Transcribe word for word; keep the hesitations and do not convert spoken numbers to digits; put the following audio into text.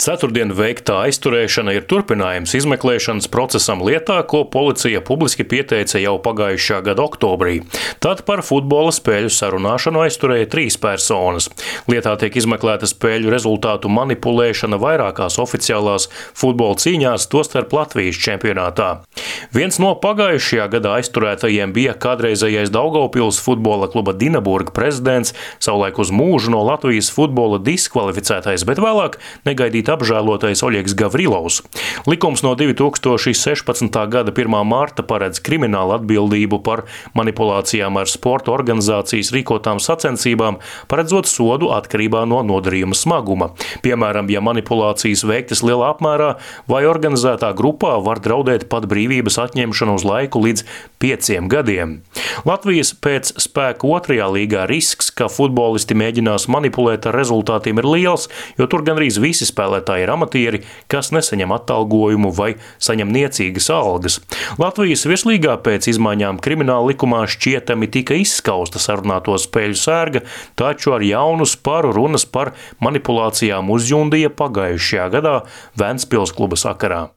Ceturtdien veiktā aizturēšana ir turpinājums izmeklēšanas procesam lietā, ko policija publiski pieteica jau pagājušā gada oktobrī. Tad par futbola spēļu sarunāšanu aizturēja trīs personas. Lietā tiek izmeklēta spēļu rezultātu manipulēšana vairākās oficiālās futbola cīņās, tostarp Latvijas čempionātā. Viens no pagājušajā gadā aizturētajiem bija kādreizējais Daugavpils futbola kluba Dinaburga prezidents, savulaik uz mūžu no Latvijas futbola diskvalificētais, bet vēlāk negaidīt apžēlotais Oļegs Gavrilovs. Likums no divi tūkstoši sešpadsmitā gada pirmā mārta paredz kriminālu atbildību par manipulācijām ar sporta organizācijas rīkotām sacensībām, paredzot sodu atkarībā no nodarījuma smaguma. Piemēram, ja manipulācijas veiktas lielā apmērā vai organizētā grupā, var draudēt pat brīvības atņemšanu uz laiku līdz pieciem gadiem. Latvijas pēc spēka otrajā līgā risks, ka futbolisti mēģinās manipulēt ar rezultātiem, ir liels, jo tur gandrīz visi spēlētāji ir amatieri, kas nesaņem atalgojumu vai saņem niecīgas algas. Latvijas virslīgā pēc izmaiņām krimināla likumā šķietami tika izskausta sarunāto spēļu sērga, taču ar jaunu sparu runas par manipulācijām uzjundīja pagājušajā gadā Ventspils kluba sakarā.